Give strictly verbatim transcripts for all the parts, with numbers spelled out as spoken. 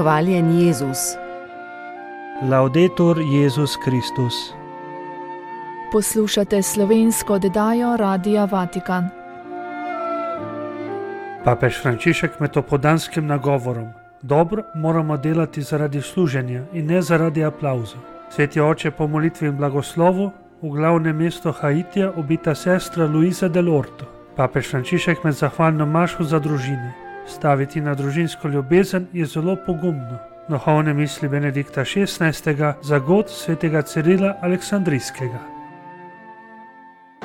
Hvaljen Jezus. Laudetur Jezus Kristus. Poslušate slovensko oddajo Radia Vatikan. Papež Frančišek med opoldanskim nagovorom: dobro moramo delati zaradi služenja in ne zaradi aplavza. Sveti oče po molitvi in blagoslovu v glavnem mestu Haitija ubita sestra Luisa del Orto. Papež Frančišek med zahvalno mašo za družine. Staviti na družinsko ljubezen je zelo pogumno. Duhovne misli Benedikta šestnajstega za god svetega Cirila Aleksandrijskega.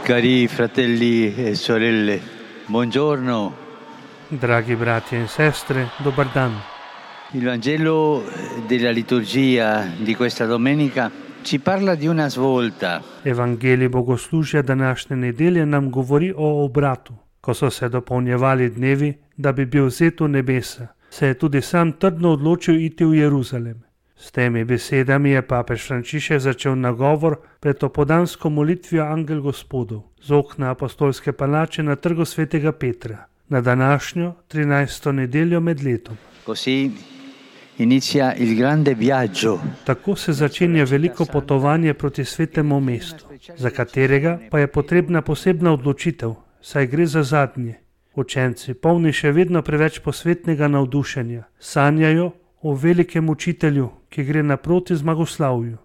Cari fratelli e sorelle, buongiorno. Dragi bratje in sestre, dober dan. Il Vangelo della liturgia di questa domenica ci parla di una svolta. Evangelij bogoslužja današnje nedelje nam govori o obratu. Ko so se dopolnjevali dnevi, da bi bil vzet v nebesa, se je tudi sam trdno odločil iti v Jeruzalem. S temi besedami je papež Frančišek začel nagovor pred opoldansko molitvijo Angel Gospodov z okna apostolske palače na trgu svetega Petra, na današnjo trinajsto nedeljo med letom. Così inizia il grande viaggio. Tako se začenja veliko potovanje proti svetemu mestu, za katerega pa je potrebna posebna odločitev, saj gre za zadnje. Učenci, polni še vedno preveč posvetnega navdušenja, sanjajo o velikem učitelju, ki gre naproti zmagoslavju.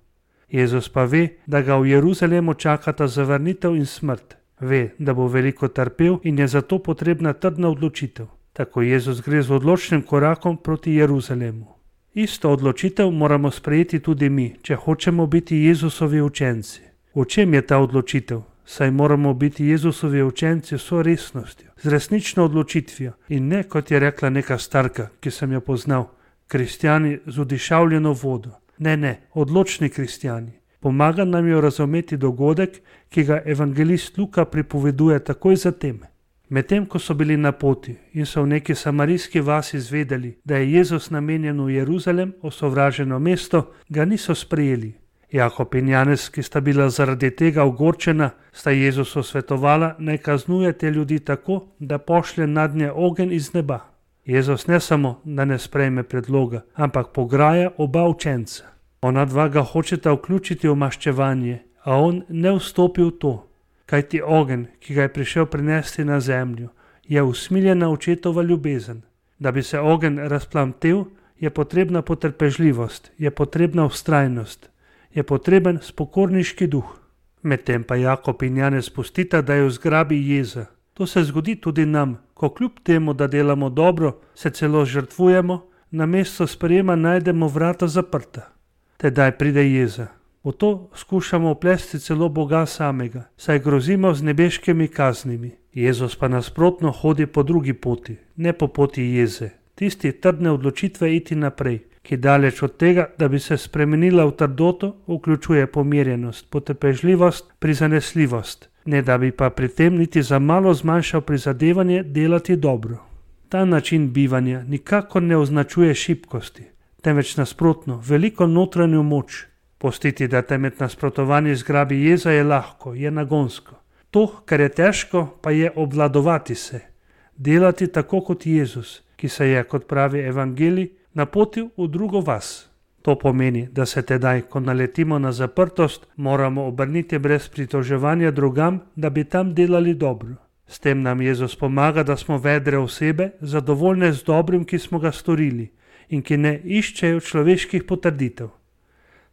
Jezus pa ve, da ga v Jeruzalemu čakata zavrnitev in smrt. Ve, da bo veliko trpel in je zato potrebna trdna odločitev. Tako Jezus gre z odločnim korakom proti Jeruzalemu. Isto odločitev moramo sprejeti tudi mi, če hočemo biti Jezusovi učenci. V čem je ta odločitev? Saj moramo biti Jezusovi učenci s vso resnostjo, z resnično odločitvijo in ne, kot je rekla neka starka, ki sem jo poznal, kristjani z odišavljeno vodo. Ne, ne, odločni kristjani. Pomaga nam jo razumeti dogodek, ki ga evangelist Luka pripoveduje takoj zatem. Medtem, ko so bili na poti in so v neki samarijski vasi izvedeli, da je Jezus namenjen v Jeruzalem, osovraženo mesto, ga niso sprejeli. Jakob in Janez, ki sta bila zaradi tega ogorčena, sta Jezusu svetovala, naj kaznuje te ljudi tako, da pošlje nadnje ogenj iz neba. Jezus ne samo, da ne sprejme predloga, ampak pograja oba učenca. Ona dva ga hočeta vključiti v maščevanje, a on ne vstopi v to. Kajti ogenj, ki ga je prišel prinesti na zemljo, je usmiljena očetova ljubezen. Da bi se ogenj razplamtel, je potrebna potrpežljivost, je potrebna vztrajnost, je potreben spokorniški duh. Medtem pa Jakob in Janez pustita, da jo zgrabi jeza. To se zgodi tudi nam, ko kljub temu, da delamo dobro, se celo žrtvujemo, namesto sprejema najdemo vrata zaprta. Tedaj pride jeza. V to skušamo vplesti celo Boga samega, saj grozimo z nebeškimi kaznimi. Jezus pa nasprotno hodi po drugi poti, ne po poti jeze, tisti trdne odločitve iti naprej, ki daleč od tega, da bi se spremenila v trdoto, vključuje pomirjenost, potrpežljivost, prizanesljivost, ne da bi pa pri tem niti za malo zmanjšal prizadevanje delati dobro. Ta način bivanja nikakor ne označuje šibkosti, temveč nasprotno, veliko notranjo moč. Postiti, da te med nasprotovanji zgrabi jeza, je lahko, je nagonsko. To, kar je težko, pa je obvladovati se, delati tako kot Jezus, ki se je, kot pravi evangelij, napotil v drugo vas. To pomeni, da se tedaj, ko naletimo na zaprtost, moramo obrniti brez pritoževanja drugam, da bi tam delali dobro. S tem nam Jezus pomaga, da smo vedre osebe, zadovoljne z dobrim, ki smo ga storili in ki ne iščejo človeških potrditev.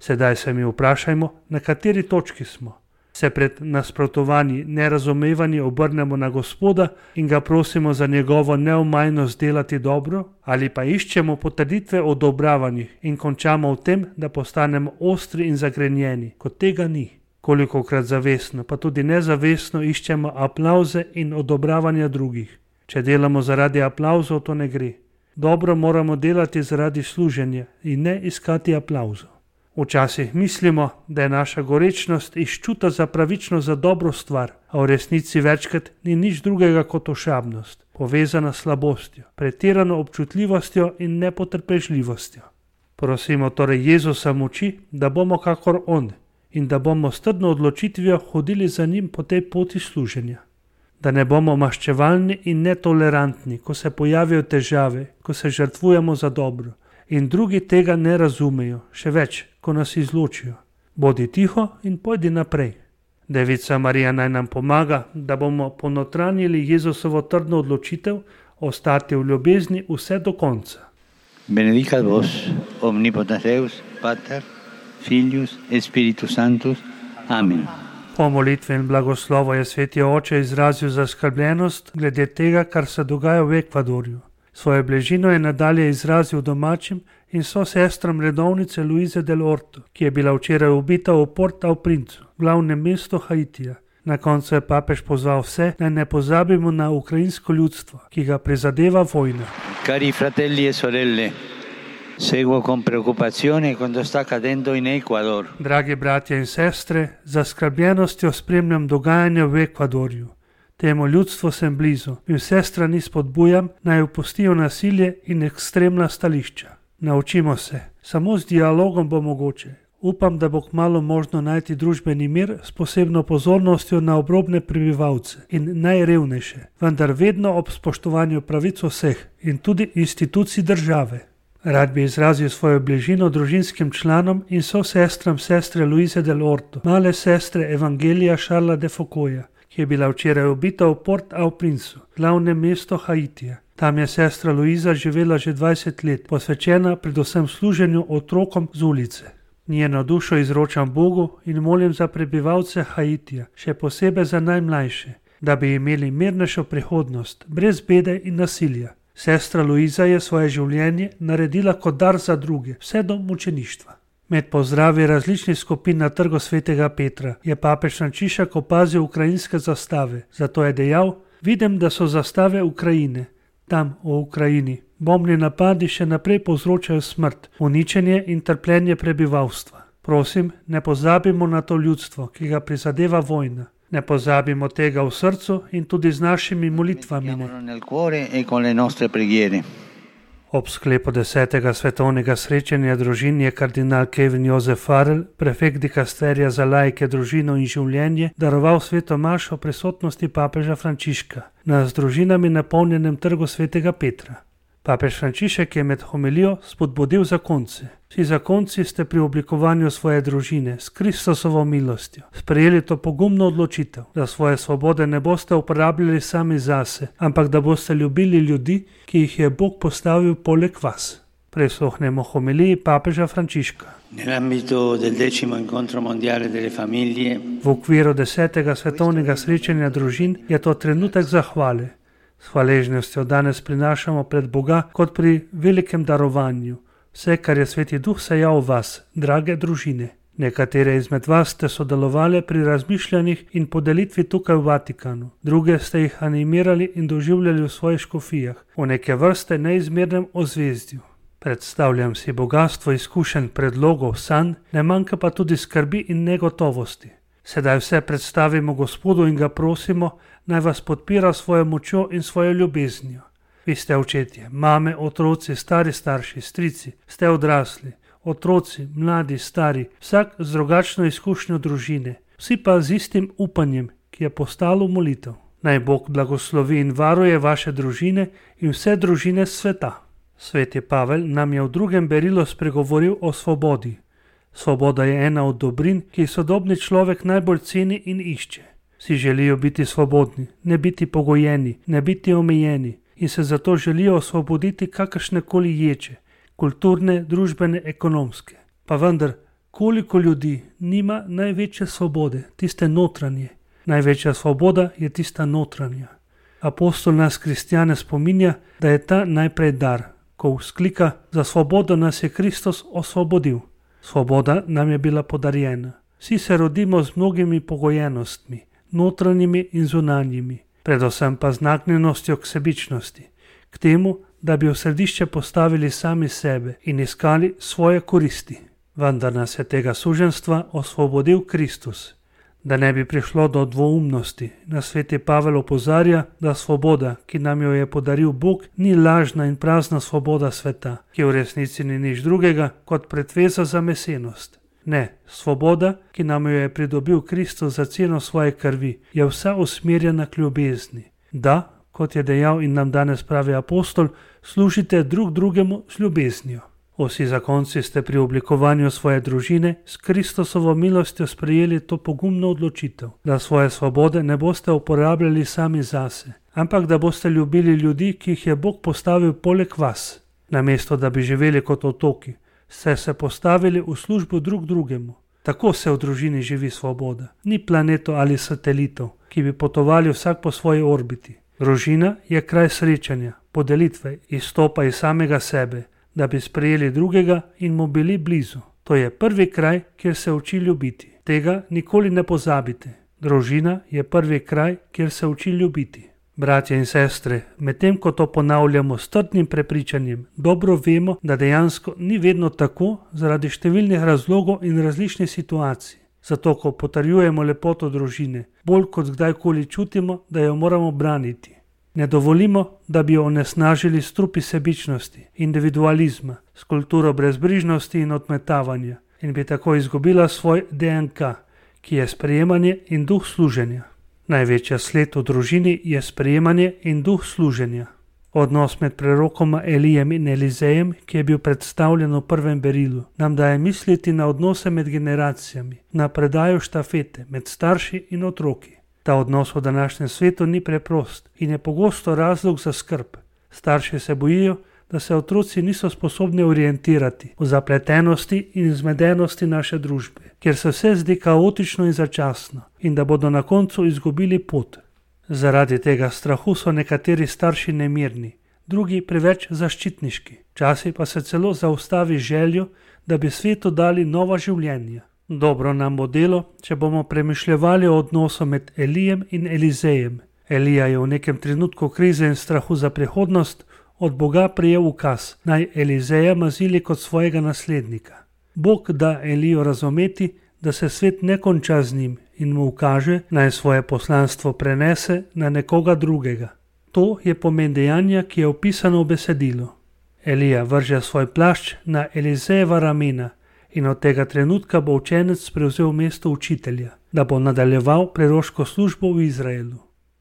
Sedaj se mi vprašajmo, na kateri točki smo. Se pred nasprotovanji, nerazumevanji obrnemo na Gospoda in ga prosimo za njegovo neomajnost delati dobro, ali pa iščemo potrditve o odobravanjih in končamo v tem, da postanemo ostri in zagrenjeni, kot tega ni. Kolikokrat zavestno, pa tudi nezavestno iščemo aplavze in odobravanja drugih. Če delamo zaradi aplavzov, to ne gre. Dobro moramo delati zaradi služenja in ne iskati aplavzov. Včasih mislimo, da je naša gorečnost iz čuta za pravično za dobro stvar, a v resnici večkrat ni nič drugega kot ošabnost, povezana s slabostjo, pretirano občutljivostjo in nepotrpežljivostjo. Prosimo torej Jezusa moči, da bomo kakor on in da bomo s trdno odločitvijo hodili za njim po tej poti služenja. Da ne bomo maščevalni in netolerantni, ko se pojavijo težave, ko se žrtvujemo za dobro, in drugi tega ne razumejo, še več, ko nas izločijo. Bodi tiho in pojdi naprej. Devica Marija naj nam pomaga, da bomo ponotranjili Jezusovo trdno odločitev ostati v ljubezni vse do konca. Benedicat vos, omnipotens Deus, Pater, Filius et Spiritus Sanctus. Amen. Po molitvi in blagoslovu je sveti oče izrazil zaskrbljenost glede tega, kar se dogaja v Ekvadorju. Svojo bližino je nadalje izrazil domačim in sosestram redovnice Luize del Orto, ki je bila včeraj ubita v Port-au-Princu, glavnem mestu Haitija. Na koncu je papež pozval vse, naj ne pozabimo na ukrajinsko ljudstvo, ki ga prizadeva vojna. Cari fratelli e sorelle, seguo con preoccupazione quanto sta accadendo in Ecuador. Dragi bratje in sestre, z zaskrbljenostjo spremljam dogajanje v Ekvadorju. Temu ljudstvu sem blizu in vse strani spodbujam, naj opustijo nasilje in ekstremna stališča. Naučimo se, samo z dialogom bo mogoče. Upam, da bo kmalu možno najti družbeni mir s posebno pozornostjo na obrobne prebivalce in najrevnejše, vendar vedno ob spoštovanju pravic vseh in tudi institucij države. Rad bi izrazil svojo bližino družinskim članom in sosestram sestre Luize del Orto, male sestre Evangelija Šarla de Focoja, ki je bila včeraj ubita v Port-au-Princu, glavnem mestu Haitija. Tam je sestra Luiza živela že dvajset let, posvečena predvsem služenju otrokom z ulice. Njeno dušo izročam Bogu in molim za prebivalce Haitija, še posebej za najmlajše, da bi imeli mirnejšo prihodnost, brez bede in nasilja. Sestra Luiza je svoje življenje naredila kot dar za druge, vse do mučeništva. Med pozdravi različnih skupin na trgu svetega Petra je papež Frančišek opazil ukrajinske zastave, zato je dejal: vidim, da so zastave Ukrajine. Tam, v Ukrajini, bombni napadi še naprej povzročajo smrt, uničenje in trpljenje prebivalstva. Prosim, ne pozabimo na to ljudstvo, ki ga prizadeva vojna. Ne pozabimo tega v srcu in tudi z našimi molitvami. Ob sklepu desetega svetovnega srečanja družin je kardinal Kevin Josef Farrell, prefekt dikasterija za laike, družino in življenje, daroval sveto mašo v prisotnosti papeža Frančiška na z družinami napolnjenem trgu svetega Petra. Papež Frančišek je med homilijo spodbudil zakonce. Vsi zakonci ste pri oblikovanju svoje družine s Kristusovo milostjo sprejeli to pogumno odločitev, da svoje svobode ne boste uporabljali sami zase, ampak da boste ljubili ljudi, ki jih je Bog postavil poleg vas. Prisluhnemo homiliji papeža Frančiška. V okviru desetega svetovnega srečanja družin je to trenutek zahvale. S hvaležnostjo danes prinašamo pred Boga kot pri velikem darovanju vse, kar je Sveti Duh sejal v vas, drage družine. Nekatere izmed vas ste sodelovali pri razmišljanjih in podelitvi tukaj v Vatikanu, druge ste jih animirali in doživljali v svojih škofijah, v neke vrste neizmernem ozvezdju. Predstavljam si bogatstvo izkušenj, predlogov, sanj, ne manjka pa tudi skrbi in negotovosti. Sedaj vse predstavimo Gospodu in ga prosimo, naj vas podpira svojo močjo in svojo ljubeznijo. Vi ste očetje, mame, otroci, stari starši, strici, ste odrasli, otroci, mladi, stari, vsak z drugačno izkušnjo družine, vsi pa z istim upanjem, ki je postalo molitev. Naj Bog blagoslovi in varuje vaše družine in vse družine sveta. Sveti Pavel nam je v drugem berilu spregovoril o svobodi. Svoboda je ena od dobrin, ki jih sodobni človek najbolj ceni in išče. Vsi želijo biti svobodni, ne biti pogojeni, ne biti omejeni in se zato želijo osvoboditi kakršnekoli ječe, kulturne, družbene, ekonomske. Pa vendar, koliko ljudi nima največje svobode, tiste notranje? Največja svoboda je tista notranja. Apostol nas kristjane spominja, da je ta najprej dar, ko vzklika: za svobodo nas je Kristus osvobodil. Svoboda nam je bila podarjena. Vsi se rodimo z mnogimi pogojenostmi, notranjimi in zunanjimi, predvsem pa z nagnjenostjo k sebičnosti, k temu, da bi v središče postavili sami sebe in iskali svoje koristi. Vendar nas je tega suženjstva osvobodil Kristus. Da ne bi prišlo do dvoumnosti, nas sveti Pavel opozarja, da svoboda, ki nam jo je podaril Bog, ni lažna in prazna svoboda sveta, ki v resnici ni nič drugega kot pretveza za mesenost. Ne, svoboda, ki nam jo je pridobil Kristus za ceno svoje krvi, je vsa usmerjena k ljubezni. Da, kot je dejal in nam danes pravi apostol, služite drug drugemu z ljubeznijo. Vsi zakonci ste pri oblikovanju svoje družine s Kristusovo milostjo sprejeli to pogumno odločitev, da svoje svobode ne boste uporabljali sami zase, ampak da boste ljubili ljudi, ki jih je Bog postavil poleg vas. Namesto da bi živeli kot otoki, ste se postavili v službo drug drugemu. Tako se v družini živi svoboda. Ni planetov ali satelitov, ki bi potovali vsak po svoji orbiti. Družina je kraj srečanja, podelitve, izstopa iz samega sebe, da bi sprejeli drugega in mu bili blizu. To je prvi kraj, kjer se uči ljubiti. Tega nikoli ne pozabite. Družina je prvi kraj, kjer se uči ljubiti. Bratje in sestre, medtem ko to ponavljamo s trdnim prepričanjem, dobro vemo, da dejansko ni vedno tako zaradi številnih razlogov in različnih situacij. Zato, ko potrjujemo lepoto družine, bolj kot kdajkoli čutimo, da jo moramo braniti. Ne dovolimo, da bi jo onesnažili strupi sebičnosti, individualizma, s kulturo brezbrižnosti in odmetavanja in bi tako izgubila svoj D N K, ki je sprejemanje in duh služenja. Največja sled v družini je sprejemanje in duh služenja. Odnos med prerokoma Elijem in Elizejem, ki je bil predstavljen v prvem berilu, nam daje misliti na odnose med generacijami, na predajo štafete med starši in otroki. Ta odnos v današnjem svetu ni preprost in je pogosto razlog za skrb. Starši se bojijo, da se otroci niso sposobni orientirati v zapletenosti in zmedenosti naše družbe, kjer se vse zdi kaotično in začasno in da bodo na koncu izgubili pot. Zaradi tega strahu so nekateri starši nemirni, drugi preveč zaščitniški, včasih pa se celo zaustavi željo, da bi svetu dali nova življenja. Dobro nam bo delo, če bomo premišljevali o odnosu med Elijem in Elizejem. Elija je v nekem trenutku krize in strahu za prihodnost od Boga prejel ukaz, naj Elizeja mazili kot svojega naslednika. Bog da Elijo razumeti, da se svet ne konča z njim in mu ukaže, naj svoje poslanstvo prenese na nekoga drugega. To je pomen dejanja, ki je opisano v besedilu. Elija vrže svoj plašč na Elizejeva ramena in od tega trenutka bo učenec prevzel mesto učitelja, da bo nadaljeval preroško službo v Izraelu.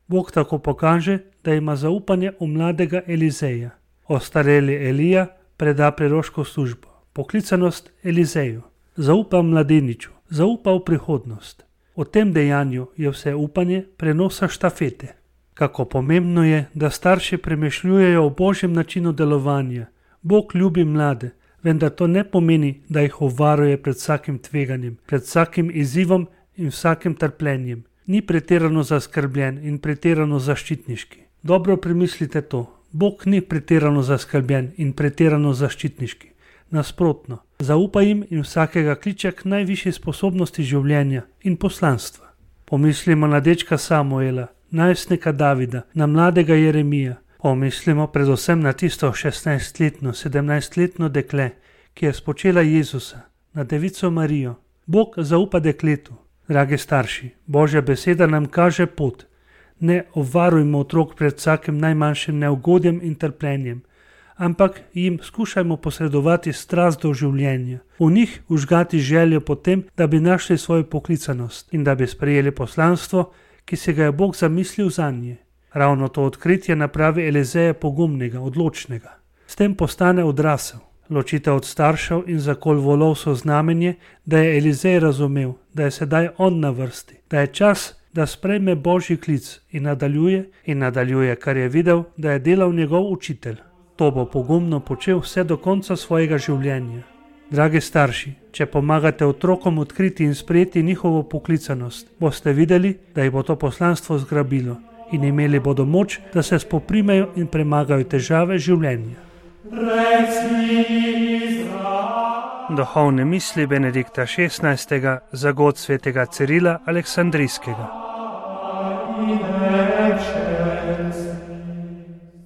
Bog tako pokaže, da ima zaupanje v mladega Elizeja. Ostareli Elija preda preroško službo, poklicanost Elizeju. Zaupa mladeniču, zaupa v prihodnost. V tem dejanju je vse upanje prenosa štafete. Kako pomembno je, da starši premišljujejo o Božjem načinu delovanja. Bog ljubi mlade, vendar to ne pomeni, da jih obvaruje pred vsakim tveganjem, pred vsakim izzivom in vsakim trpljenjem. Ni pretirano zaskrbljen in pretirano zaščitniški. Dobro premislite to. Bog ni pretirano zaskrbljen in pretirano zaščitniški. Nasprotno, zaupa jim in vsakega kliče k najvišji sposobnosti življenja in poslanstva. Pomislimo na dečka Samuela, najstnika Davida, na mladega Jeremija. Pomislimo predvsem na tisto šestnajstletno, sedemnajstletno dekle, ki je spočela Jezusa, na devico Marijo. Bog zaupa dekletu. Dragi starši, Božja beseda nam kaže pot. Ne obvarujmo otrok pred vsakim najmanjšim neugodjem in trpljenjem, ampak jim skušajmo posredovati strast do življenja, v njih užgati željo po tem, da bi našli svojo poklicanost in da bi sprejeli poslanstvo, ki si ga je Bog zamislil zanje. Ravno to odkritje napravi Elizeja pogumnega, odločnega. S tem postane odrasel. Ločitev od staršev in zakol volov so znamenje, da je Elizej razumel, da je sedaj on na vrsti, da je čas, da sprejme Božji klic in nadaljuje in nadaljuje, kar je videl, da je delal njegov učitelj. To bo pogumno počel vse do konca svojega življenja. Dragi starši, če pomagate otrokom odkriti in sprejeti njihovo poklicanost, boste videli, da jih bo to poslanstvo zgrabilo in imeli bodo moč, da se spoprimejo in premagajo težave življenja. Duhovne misli Benedikta šestnajstega za god svetega Cirila Aleksandrijskega.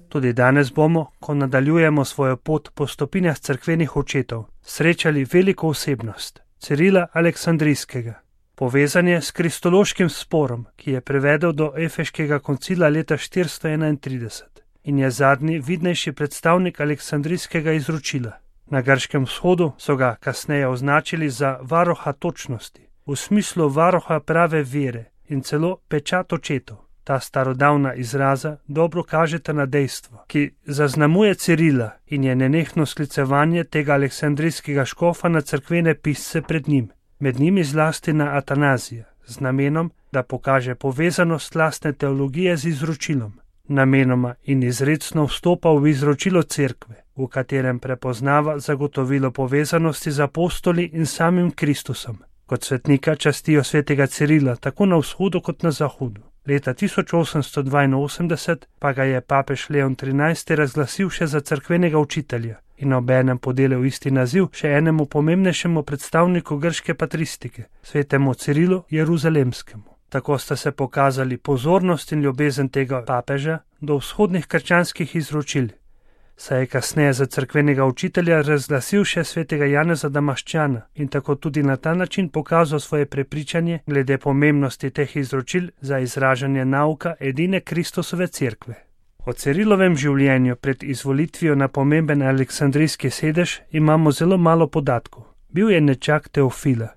Tudi danes bomo, ko nadaljujemo svojo pot po stopinjah cerkvenih očetov, srečali veliko osebnost, Cirila Aleksandrijskega. Povezan je s kristološkim sporom, ki je privedel do Efeškega koncila leta štiristo enaintrideset in je zadnji vidnejši predstavnik Aleksandrijskega izročila. Na Grškem vzhodu so ga kasneje označili za varuha točnosti, v smislu varuha prave vere in celo pečat očetov. Ta starodavna izraza dobro kažeta na dejstvo, ki zaznamuje Cirila in je nenehno sklicevanje tega aleksandrijskega škofa na cerkvene pisce pred njim, med njimi zlasti na Atanazija, z namenom, da pokaže povezanost lastne teologije z izročilom. Namenoma in izrecno vstopa v izročilo cerkve, v katerem prepoznava zagotovilo povezanosti z apostoli in samim Kristusom. Kot svetnika častijo svetega Cirila tako na vzhodu kot na zahodu. Leta tisoč osemsto dvainosemdeset pa ga je papež Leon trinajsti razglasil še za cerkvenega učitelja in obenem podelil isti naziv še enemu pomembnejšemu predstavniku grške patristike, svetemu Cirilu Jeruzalemskemu. Tako sta se pokazali pozornost in ljubezen tega papeža do vzhodnih krščanskih izročil, saj je kasneje za cerkvenega učitelja razglasil še svetega Janeza Damaščana in tako tudi na ta način pokazal svoje prepričanje glede pomembnosti teh izročil za izražanje nauka edine Kristusove cerkve. O Cirilovem življenju pred izvolitvijo na pomemben aleksandrijski sedež imamo zelo malo podatkov. Bil je nečak Teofila,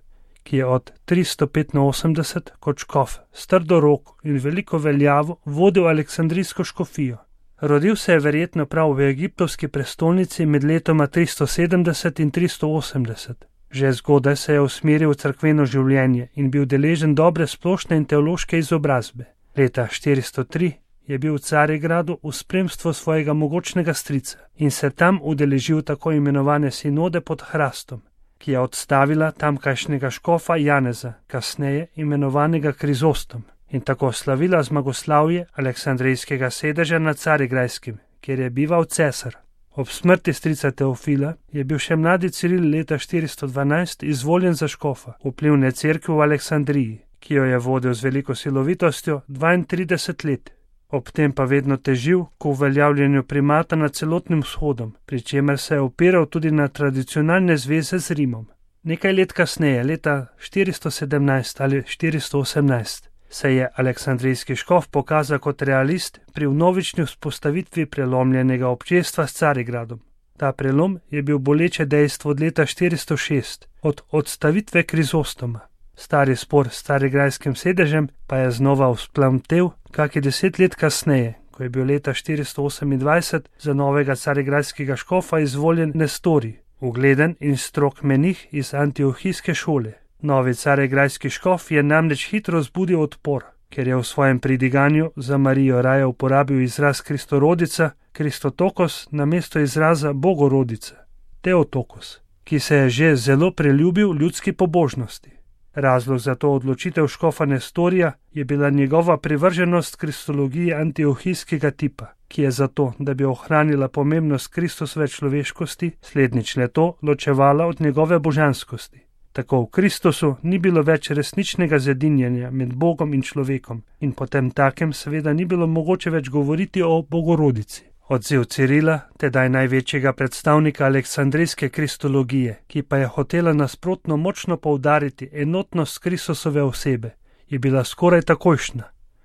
ki je od tristo petinosemdeset kot škof s trdo roko in veliko veljavo vodil aleksandrijsko škofijo. Rodil se je verjetno prav v egiptovski prestolnici med letoma tristo sedemdeset in tristo osemdeset. Že zgodaj se je usmeril v cerkveno življenje in bil deležen dobre splošne in teološke izobrazbe. Leta štiristo tri je bil v Carigradu v spremstvu svojega mogočnega strica in se tam udeležil tako imenovane sinode pod Hrastom, ki je odstavila tamkajšnjega škofa Janeza, kasneje imenovanega Krizostom, in tako slavila zmagoslavje aleksandrijskega sedeža na Carigrajskem, kjer je bival cesar. Ob smrti strica Teofila je bil še mladi Ciril leta štiristo dvanajst izvoljen za škofa vplivne cerkve v Aleksandriji, ki jo je vodil z veliko silovitostjo dvaintrideset let. Ob tem pa vedno težil k uveljavljanju primata nad celotnim vzhodom, pri čemer se je opiral tudi na tradicionalne zveze z Rimom. Nekaj let kasneje, leta štiristo sedemnajst ali štiristo osemnajst, se je aleksandrijski škof pokazal kot realist pri vnovični vzpostavitvi prelomljenega občestva s Carigradom. Ta prelom je bil boleče dejstvo od leta štiristo šest, od odstavitve Krizostoma. Stari spor s carigrajskim sedežem pa je znova vzplamtel kakih deset let kasneje, ko je bil leta štiristo osemindvajset za novega carigrajskega škofa izvoljen Nestorij, ugleden in strog menih iz antiohijske šole. Novi carigrajski škof je namreč hitro zbudil odpor, ker je v svojem pridiganju za Marijo raje uporabil izraz Kristorodica, Kristotokos, namesto izraza Bogorodica, Teotokos, ki se je že zelo preljubil ljudski pobožnosti. Razlog za to odločitev škofa Nestorija je bila njegova privrženost kristologiji antiohijskega tipa, ki je zato, da bi ohranila pomembnost Kristusove človeškosti, slednjič le to ločevala od njegove božanskosti. Tako v Kristusu ni bilo več resničnega zedinjenja med Bogom in človekom in potem takem seveda ni bilo mogoče več govoriti o Bogorodici. Odziv Cirila, tedaj največjega predstavnika aleksandrijske kristologije, ki pa je hotela nasprotno močno poudariti enotnost Kristusove osebe, je bila skoraj takojšnja.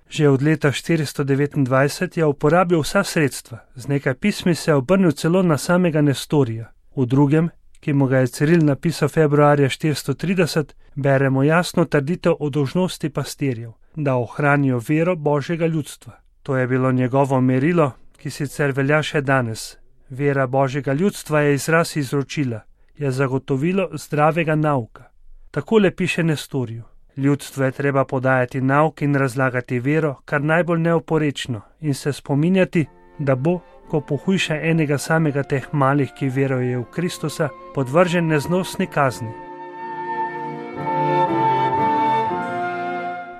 Že od leta štiristo devetindvajset je uporabil vsa sredstva, z nekaj pismi se je obrnil celo na samega Nestorija. V drugem, ki mu ga je Ciril napisal februarja štiristo trideset, beremo jasno trditev o dolžnosti pastirjev, da ohranijo vero Božjega ljudstva. To je bilo njegovo merilo, ki sicer velja še danes. Vera Božjega ljudstva je izraz izročila, je zagotovilo zdravega nauka. Takole piše Nestoriju: ljudstvu je treba podajati nauk in razlagati vero, kar najbolj neoporečno, in se spominjati, da bo, ko pohujša enega samega teh malih, ki veruje v Kristusa, podvržen neznosni kazni.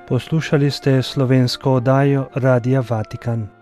Poslušali ste slovensko oddajo Radia Vatikan.